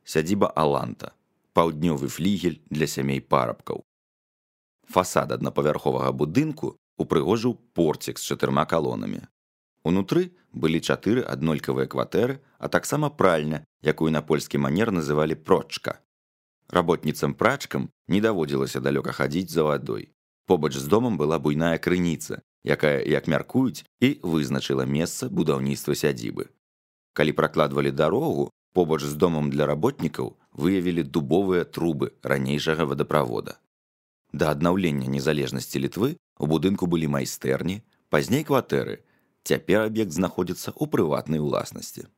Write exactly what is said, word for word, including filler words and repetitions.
сядзіба Аланта, паўднёвы флігель для сямей парабкаў. Фасад аднапавярховага будынку упрыгожыў порцік з чатырма калонамі. Унутры былі чатыры аднолькавыя кватэры, а таксама пральня, якую на польскі манер называлі прочка. Работніцам-прачкам не даводзілася далёка хадзіць за вадой. Побач з домам была буйная крыніца, якая, як мяркуюць, і вызначыла месца будаўніцтва сядзібы. Калі пракладвалі дарогу, побач з домам для работнікаў выявілі дубовыя трубы ранейшага вадаправода. Да аднаўлення незалежнасці Літвы у будынку былі майстэрні, пазней кватэры. Цяпер аб'ект знаходзіцца ў прыватнай уласнасці.